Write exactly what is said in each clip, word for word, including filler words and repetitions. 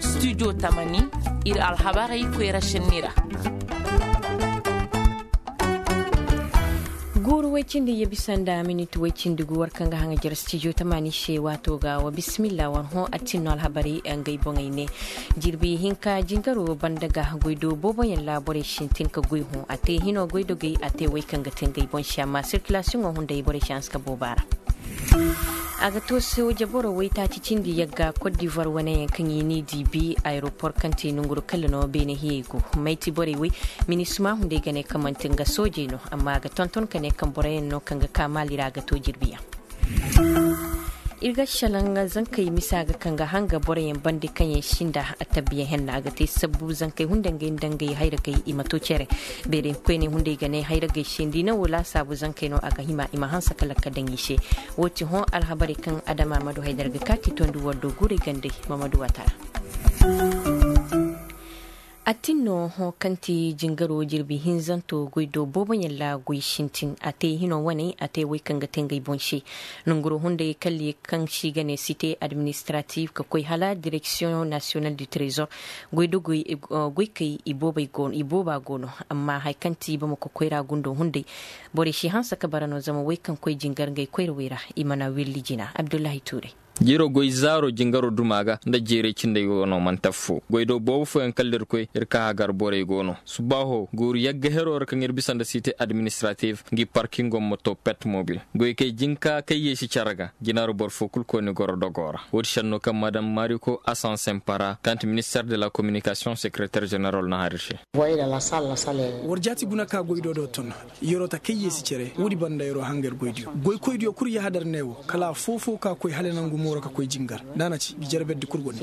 Studio tamani, ir alhabarey koyra šenni ra. Guuru woy cindi ya bisa nda minit woy cindi gu war kaŋ ga haŋajer studio tamani se waato ga wa bisimilla war hõ attin no alhabarey ngey boŋey ne. Jirbi hinka jingaro banda ga goydo booboyaŋ ra borey sintin ka goy hõ a te hino goydogey a te woy kaŋ ga te ngey boŋ se amma sirkilasiyoŋo hunday borey si hanse ka booba ra. A ga to sooje boro waytaaci cindi yagga kot divoir wane yaŋ kaŋ i n'i di bi ayeropor kaŋ ti nonguru kalla no beene hiyey go. Mayti borey wey minisima hunday ga ne kaŋ manti nga soojey no amma a ga tonton ka ne kaŋ boroyaŋ no kaŋ ga ka maali ra a ga to jirbiyaŋ. Ir ga salaŋ zankey misa ga kaŋ ga hanga boroyaŋ bande kaŋ yaŋ sinda a tabbiyaŋ henna a ga te sabbu zankey hunday ngey nda ngey hayragey i ma to cere. Beerey koyney hunday ga ne hayragey se nda i na wo laasaabu zankey no a ga hima i ma hanse kala ka daŋ i se. Wo ti hõ alhabarey kaŋ adama madu haydar ga ka ka i tondi war do guurey gandey. Mamadu watara. Attin no hõ kaŋ ti jingaro jirbi hinzanto goy do booboyaŋ ra goy sintin a te hino wane a te wey kaŋ ga te ngey boŋ se. Nonguro hunday kalli kaŋ se i ga ne site administratif ka koy hala direksiyoŋ nasiyonal du trezor. Goy da goy goykey i booba go no amma haya kaŋ ti bamako koyra gundo hunday. Borey si hanse ka bara no zama wey kaŋ koy jingar ngey koyrawey ra i mana willi jina abdullahi tuuray. Jiro goy zaaro jingaro duma ga nda jeeray cindey go no manti affo goy do boobo fooyaŋ kala da ir koy ir ka hagar borey go no subbaaho guuru yagga hero ra kaŋ ir bisa nda site administratif ngi parkingo ma to pet mobil. Goy kay jinka kay yeesi care ga jinaro boro fo kulu kooni goro dogo ra woodi senno kaŋ madam mariko asansen para kaŋ ti minister de la kominikasiyoŋ sekereter jeneral na hari se. War jaati guna ka goy do do ton. Yeroo ta kay yeesi cere woodi banda yeroo hanga ir goydiyo goykoydiyo kul yahadar ne wo kala afoo-foo ka koy hala nangu mooro ka koy jingar nda a na ci ngi jarberdi kul go ne.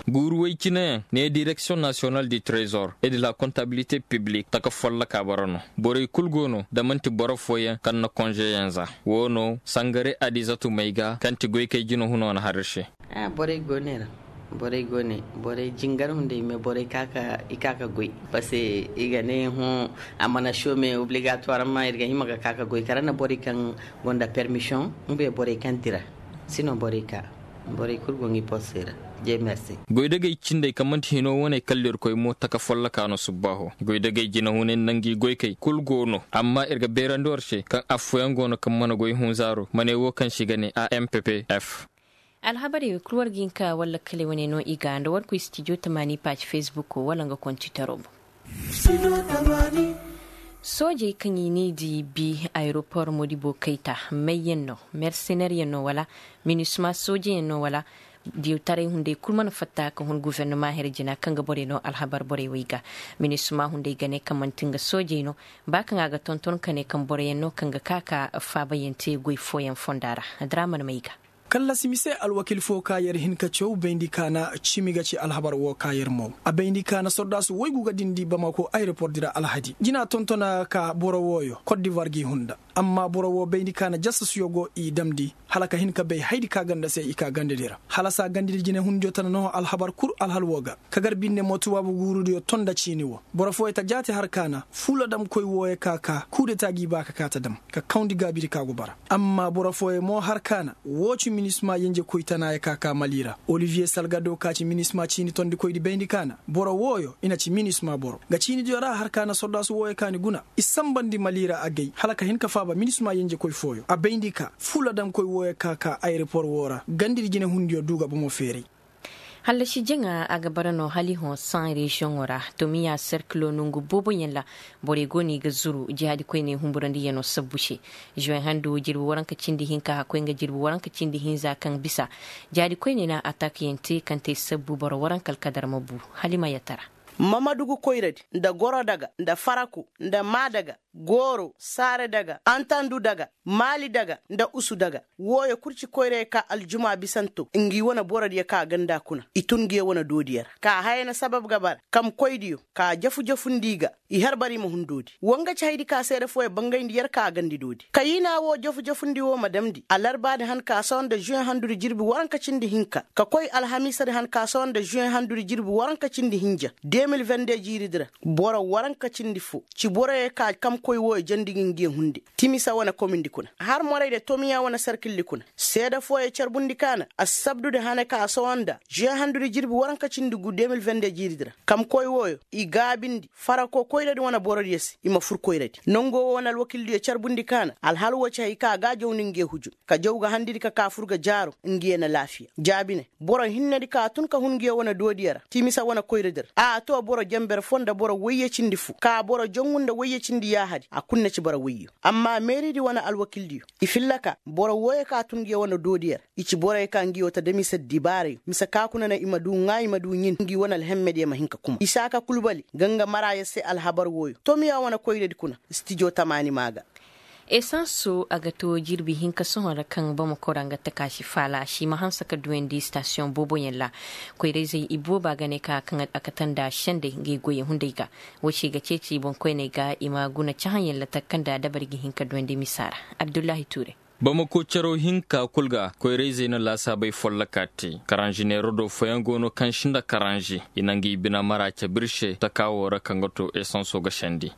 Guuru woy cineyaŋ ne direksiyoŋ nasiyonal di trezor e di la kontabilite piblik taka folloka bara no. Borey kul go no da man'ti boro fooyaŋ kaŋ na konzeyaŋ za. Woo no sangare adizatu may ga kaŋ ti goykey jina huno na har ir se. Borey go ne ra. Borey go ne borey jingar hunday me borey ka ka i ka ka goy. Paske i ga ne hõ a mana some obligatoire amma ir ga hima ga ka ka goy kala na borey kaŋ gonda permisiyoŋ. Nga borey kaŋ dira sino borey ka borey kul go ngi poste ra. Jey mersi. Goydagey cindey kaŋ man'ti hino wane kala ir koy mo taka folloka no subbaaho goydagey jinahunay nda ngi goykey kul go no amma ir ga beerandi war se kaŋ affooyaŋ go no kaŋ mana goy hunzaaro ma ne wo kaŋ se i ga ne a m p p f. Alhabarey wey kul war ga hin ka walla kale wane no i ga nda war koy stijo tamaani paaci fesbuk wala nga kontitaro boŋ. Soojey kaŋ i n'i di bi ayeropor modibo kayta mayyaŋ no merseneeryaŋ no wala minisma soojeyaŋ no wala diyawtaray hunday kul mana fatta ka hun gufernama here jina kaŋ ga borey no alhabar borey wey ga. Minisma hunday ga ne kaŋ man'ti nga soojey no ba kaŋ a ga tonton ka ne kaŋ boroyaŋ no kaŋ ga ka ka faabayaŋ te goy fooyaŋ fonda ra. Dara mana may ga. Kallasi mise alwakil fo ka yer hin ka caw bayndi ka na cimi ga ci alhabar wo ka yer mo a bayndi ka na sordaasu woygu ga dindi bamako ayeropor di ra alhadi jina tontona ka boro wooyo kot divoir g'i hunda. Amma boro wo bayndi ka na jasasuyo go i damndi hala ka hin ka bay haydi ka ganda se i ka gandedi ra. Halasa gandedi jinehundiyo tana no alhabar kul alhal wo ga ka gar binne mo tubaabu guurudiyo ton nda ciini wo. Boro fooyo ta jaati har ka na fuula damkoy wooyo ka ka kuudeta g'i ba ka ka ta dam ka kawndi gaabidi ka go bara. Amma boro fooyo mo har ka na woo ci minisma yenjekoy tanaayo ka ka mali ra oliviye salgado ka ci minisma ciini tondikoydi bayndi ka na boro wooyo i na ci minisma boro nga ciinidiyo ra har ka na sordaasu wooyo ka ni guna i sambandi mali ra agay hala ka hin ka faaba minisma yenjekoy fooyo a bayndi ka fuula damkoy wooyo ka ka ayeropor woo ra gandidi jinehundiyo du ga bomo feeray. Hallasi jaŋa a ga bara no hala i hõ san reziyoŋo ra tomiya serkilo nongu booboyaŋ ra. Borey go no i ga zuru jihaadi koyney humburandiyaŋo sabbu se. Zuwe handu jirbi waranka cindi hinka hakkoy nga jirbi waranka cindi hinza kaŋ bisa jihaadi koyney na atakyaŋ te kaŋ te sabbu boro waranka alkadar ma bu. Hala i ma yattara. Mamadugu koyradi nda gorodaga nda farako nda maadaga gooro saaradaga antandudaga maalidaga nda usudaga. Wooyo kul ci koyra ye ka aljuma bisanto ngi wane borodiyo ka ganda kuna i tun ngi ye wane doodiyo ra ka haya na sabab ga bara kamkoydiyo ka jafu-jafundi i ga i har bara i ma hun doodi. Woo nga ci haydi ka seede fooyo bangayndi yer ka a gandi doodi kayiina woo jafu-jafundi woo ma damndi alarbaadi han ka sohõ nda zuwe handudi jirbi waranka cindi hinka ka koy alhamiisadi han ka sohõ nda zuwe handudi jirbi waranka cindi hinja. Mil vende jiiridi ra boro waranka cindi fo ci boroyo ka kamkoy wooyo jandi gi ngi hunde. Timisa wane komindi kuna har morayde tomiya wane sarkildi kuna seeda fooyo carbundi ka na assabdudi hane ka a sohõ nda žee handudi jirbi waranka cindi gu de mil vende jiiridi ra kamkoy wooyo i gaabindi farako koyradi wane borodiyo se i ma fur koyradi nongo woo wane alwakildiyo carbundi ka na alhal woo ci hay ka a ga a jawndi nge hujun ka jaw ga handidi ka ka fur ga jaaro ngiyo na laafiya jaabi ne boro hinnedi ka tun ka hun ngiyo wane doodiyo ra timisa wane koyradi ra a too boro jenber foo nda boro woyye cindi foo ka boro jongu nda woyye cindi yaahadi a kul na ci boro woyyo amma meeridi wane alwakildiyo i filla ka boro wooyo ka tun ngiyo wane doodiyo ra i ci boroyo ka ngi woo ta da mise dibaarayo mise ka kuna na i ma du ŋaa i ma du ɲin ngi wane alhemmediyo ma hin ka kuma isaaka kulbali ga nga maraayo se alhabar wooyo tomiya wane koyradi kuna stijo tamaani maa ga. Esanso a ga too jirbi hinka sohõ ra kaŋ bamako ra nga takaasi faala a si ma hanse ka duwandi istasiyoŋ booboyaŋ ra. Koyrayzey ibooba ga ne ka kaŋ a kate nda sendey ngey goyey hunday ga. Woo se ga ceeci boŋkoyney ga i ma guna cahãyaŋ ra taka kaŋ nda dabari ga hin ka duwandi misa ra. Abdullahi tuure. Bamako caro hinka kul ga koyrayzey na laasaabey follokaa te karanzi neero do fooyaŋ go no kaŋ si nda karanzi i na ngi bine mara cabir se taka woo ra kaŋ ga too esanso ga sendi.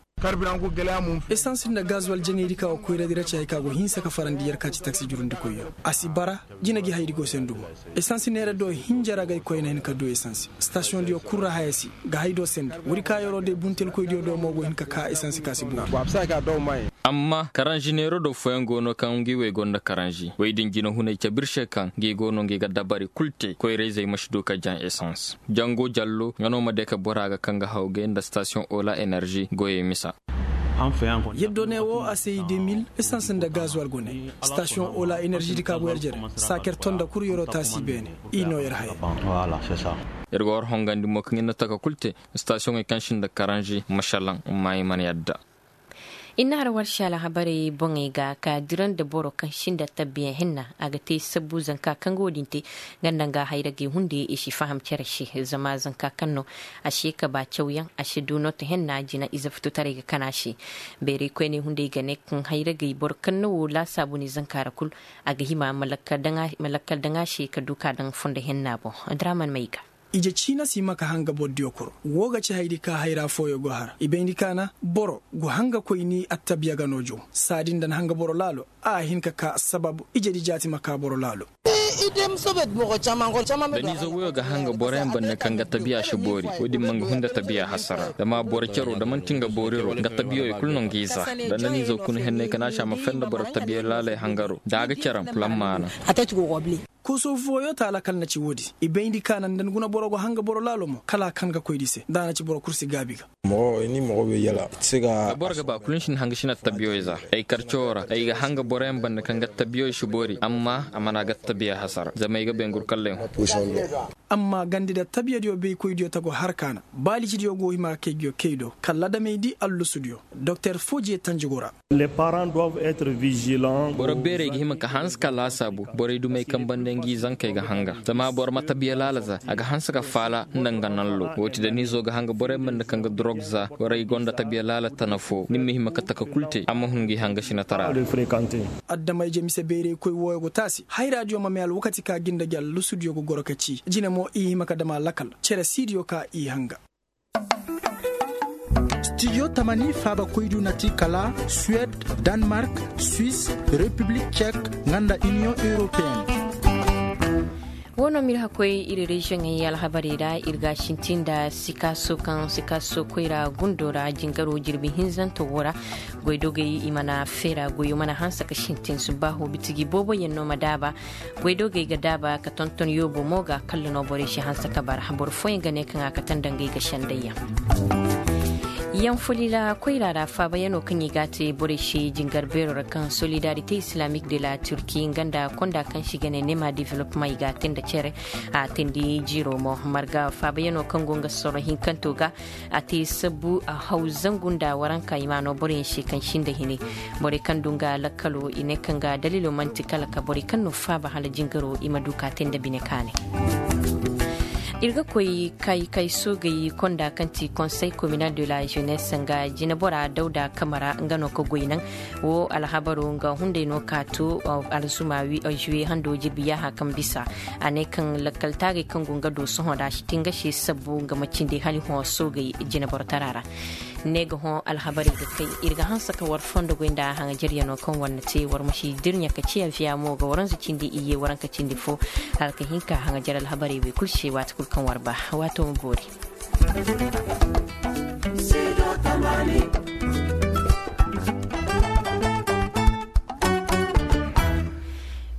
Esans nda gazuwal jaŋaydi ka go koyradi ra ci hay ka go hinsa ka farandi yer ka ci taksi jurundikoyyo a si bara. Jina gi haydi go se ndumo esans neera do hinja ra gay koyna hin ka du esans stasiyoŋdiyo kul ra haya si ga hay do sendi wuri ka yeroo day buntelkoydiyo do mo go hin ka ka esans ka si booru. Amma karanzi neero do fooyaŋ go no kaŋ ngi wey go nda karanzi wey din jinahunay cabir se kaŋ ngi go no ngi ga dabari kul te koyrayzey ma si du ka jaŋ esans. Jango jallo nga no ma de ka bora ga kaŋ ga hawgay nda stasiyoŋ ola enerzi goyey misa. Yaddo ne woo a se i de mil esans nda gazuwal go ne stasiyoŋ ola enerzi di ka go yer jere. Saaker to nda kul yeroo taasi beene i noo yer haya. Yer go war hongandi mo kaŋ ir na taka kul te stasiyoŋey kaŋ si nda karanzi masalaŋ. Maayi mana yadda. I na har warsi alhabarey boŋey ga ka dira nda boro kaŋ sinda tabbiyaŋ henna a ga te sabbu zanka kaŋ ga wo-din te. Nga nda nga hayragey hunde i si faham cere se zama zanka kaŋ no a si ye ka ba cawyaŋ a si du noota henna jina ize futotaray ga kana se. Beeraykoyney hunday ga ne kaŋ hayragey boro kaŋ na wo laasaabu ni zanka ra kul a ga hima ma lakkal daŋ a se ka du ka daŋ fondo henna boŋ. Draman may ga. Ije ciina si hima ka hanga bordiyo koro woo ga ci haydi ka hayra fooyo go har i bayndi ka na boro go hanga koy ni attabiya ga no jow. Saadi nda na hanga boro laalo a hin ka ka sababu ijedi jaati ma ka boro laalo. Da ni ize woyo ga hanga boroyaŋ bande kaŋ ga tabiya si boori woodin ma nga hunda tabiya hasara zama boro caro da man'ti nga booriro nga tabiyoyo kul no nga iza. Da na ni ize kuna henney ka na a si a ma fenda boro tabiya laaley hangaro da a ga cere a ma kul a ma maana. Koso fooyo ta lakal na ci woodi i bayndi ka na nda ni guna boro go hanga boro laalo mo kala a kan ga koy di se da a na ci boro kul si gaabi ga. Boro ga ba kul ni si ni hanga si na tabiyoy za ay kar coo ra ay ga hanga boroyaŋ banda kaŋ ga tabiyoy si boori amma a mana ga tabiya hasara zama ay ga bay ngur kallay hõ. Amma gandi da tabiyadiyo baykoydiyo ta go har ka na baalicidiyo go hima ga kay nguyo kay do kala adamey di allusudiyo doktor foojiye tanjigo ra. Boro beerey ga hima ka hanse ka laasaabu borey dumey kaŋ banda ngi zankey ga hanga zama boro ma tabiya laala za a ga hanse ka faala nda nga nallo woo ti da ni izo ga hanga borey ma nda kaŋ ga dorog za borey gonda tabiya laala tana foo ni ma hima ka taka kul te a ma hun ngi hanga sinatara ra. Adama-ije mise beerey koy wooyo go taasi hayraadiyo ma may alwakati ka ga nda gi allusudiyo ga goro ka cii jine mo i hima ka dam a lakal cere siidiyo ka i hanga. Stijo tamani faabakoydu na ti kala suwed, danmark, swis, repiblik cek, nga nda iniyoŋ europeyen. Woo no m'ir hakkoy ir reziyoŋey alhabarey ra ir ga sintin nda sikaaso kaŋ sikaaso koyra gundo ra jingaro jirbi hinzanto woo ra. Goydogey i mana feera goyo mana hanse ka sintin subbaaho bitiji booboyaŋ no ma daaba. Goydogey ga daaba ka tonton yoobo mo ga kalla no borey si hanse ka bara boro fooyaŋ ga ne kaŋ a kate nda ngey ga sendayyaŋ. Yaŋ folila koyra ra faabayaŋo kaŋ i ga a te borey se jingar beero ra kaŋ solidarite islamique de la turki nga nda konda kaŋ se i ga ne nema development i ga a te nda cere. A teendi jiiro mo marga faabayaŋo kaŋ go nga soro hinkanto ga. A te sabbu a haw zangu nda waranka i ma no boroyaŋ se kaŋ sinda hine. Borey kaŋ du nga lakkalo i ne kaŋ ga dalilo man'ti kala ka borey kaŋ no faaba hala jingaro i ma du ka te nda bine kaanay. Ir ga koy kay kay soogey konda kaŋ ti konsey kominal de la jenes nga jinebora dawda kamara nga no ka goy naŋ. Wo alhabaro nga hunday no ka to alzuma juwe hando jirbi yaaha kaŋ bisa. A ne kaŋ lakkal taagey kaŋ go nga do sohõ da a si ti nga se sabbu nga ma cindi hali hõ soogey jineborotara ra. Ne ga hõ alhabarey ga kay ir ga hanse ka war fondo goy nda haŋajaryanoo kaŋ war na te war ma si dirɲa ka ciya viya mo ga waranza cindi iyye waranka cindi fo. Hala ka hin ka haŋajar alhabarey wey kulu se waati kulu kaŋ war ba. Waato ma boori.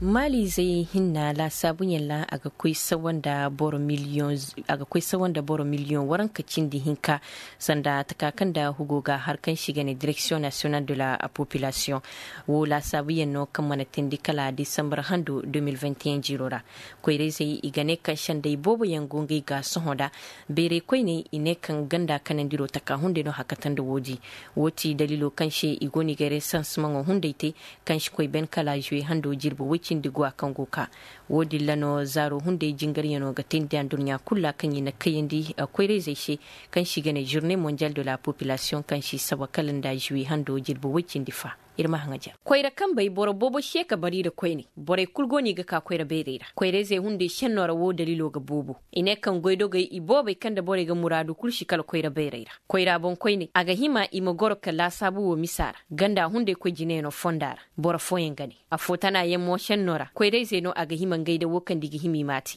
Maalizey hinna laasaabuyaŋ ra a ga koy sawa nda boro miliyoŋ waranka cindi hinka. Sanda taka kaŋ nda hugo ga har kaŋ se i ga ne direksiyoŋ nasiyonal de la populasiyoŋ. Wo laasaabuyaŋ no kaŋ mana teendi kala disambar hando de mil vingt et un jiiro ra. Koyrayzey i ga ne kaŋ sendey booboyaŋ go ngey ga sohõ nda. Bayray koyney i ne kaŋ ganda kanandiro taka hunday no hakata nda woodi. Wo ti daliilo kaŋ se i go no i ga resansimaŋo hunday te kaŋ si koy ben kala zuwe hando jirbi woy cindi guwa kaŋ go ka. Wo-din ra no zaaro hunday jingaryano ga teendi anduɲɲa kulu ra kaŋ i na kayandi koyrayzey se kaŋ se i ga ne žurne mondial de la populasiyoŋ kaŋ se i saba kala nda zuwe hando jirbi woy cindi fa. Ir ma haŋajar koyra kambey boro boobo se ka bar i ra koyne. Borey kulu go no i ga ka koyra bayray ra koyrayzey hunday šenno ra wo daliilo ga boobo. I ne kaŋ goydogey i boobey kaŋ nda borey ga muraadu kulu si kala koyra bayray ra. Koyra boŋkoyney a ga hima i ma goro ka laasaabu wo misa ra ganda hunday koy jineyaŋo fonda ra. Boro fooyaŋ ga ne afo tana yaŋ mo senno ra koyrayzey no a ga hima ngey nda wo kaŋ nda i ga hima i m'a te.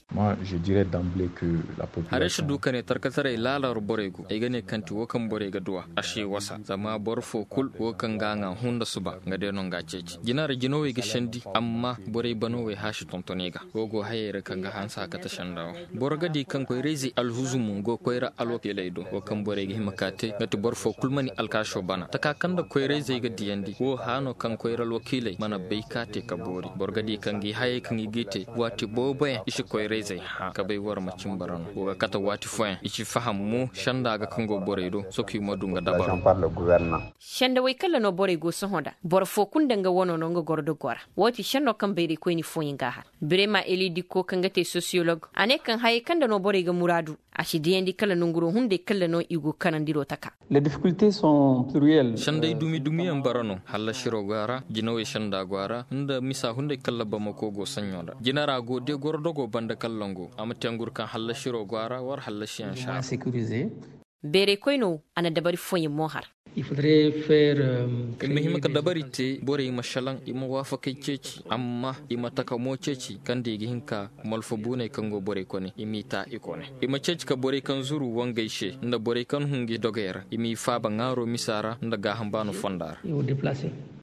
Haray si du ka ne tarkataray laala ra borey go ay ga ne kaŋ ti wo kaŋ borey ga duw'a a si wasa zama boro fo kulu wo kaŋ ga a ŋaa hunda suba nga day no nga ceeci jina ra jinawey ga sendi. Amma borey banawey haasi tonton i ga wo go hayey ra kaŋ ga hanse a kate senda wo. Boro ga di kaŋ koyrayzey alhuzumo go koyra alwakiiley do wo kaŋ borey ga hima ka te nga ti boro fo kulu ma ni alkaasoo bana taka kaŋ nda koyrayzey ga diyandi wo hã no kaŋ koyra alwakiiley mana bay ka te ka boori boro ga di kaŋ ga i hayey kaŋ i g'i te waati booboyaŋ i si koyrayzey hã ka bay war ma cin bara no wo ga kate waati fooyaŋ i si faham mo senda ga kaŋ go borey do sohõ i ma du nga dabaro. Sendawey kalla no borey go sohõ nda boro fo kulu nda nga wano no nga goro dogo ra. Wo ti senno kaŋ bayraykoyni fooyaŋ g'a har birema eli dikko kaŋ ga te sosiyolog a ne kaŋ hayey kaŋ nda no borey ga muraadu a si diyandi kala nanguro hunday kalla no i go kanandiro taka. Senday dumi dumiyaŋ bara no hallasiroo go a ra jinawey senda go a ra nda misa hunday kalla bamako go saɲɲo nda jina ra go de goro dogo banda kallango a ma te ngur kaŋ hallasiroo go a ra war hallasiyaŋ se a ra. Beeraykoyno a na dabari fooyaŋ mo har. I ma hima ka dabari te borey ma šelaŋ i ma waafakey ceeci amma i ma taka mo ceeci kaŋ da i ga hin ka malfa buuney kaŋ go borey kone i m'i ta i kone. I ma ceeci ka borey kaŋ zuru wangey se nda borey kaŋ hungi dogey ra i m'i faaba ŋaaro misa ra nda gaaham baano fonda ra.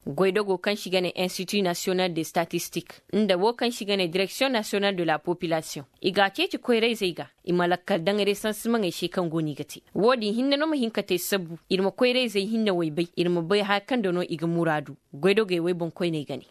Goydogo kaŋ se i ga ne institut nasiyonal de statistik nda wo kaŋ se i ga ne direksiyoŋ nasiyonal de la popilasiyoŋ i g'a ceeci koyrayzey ga i ma lakkal daŋ resansimaŋey se kaŋ go no i ga te. Wo-din hinne no ma hin ka te sabbu ir ma koyrayzey hinnewey bay ir ma bay haya kaŋ da no i ga muraadu. Goydogey wey boŋkoyney ga ne.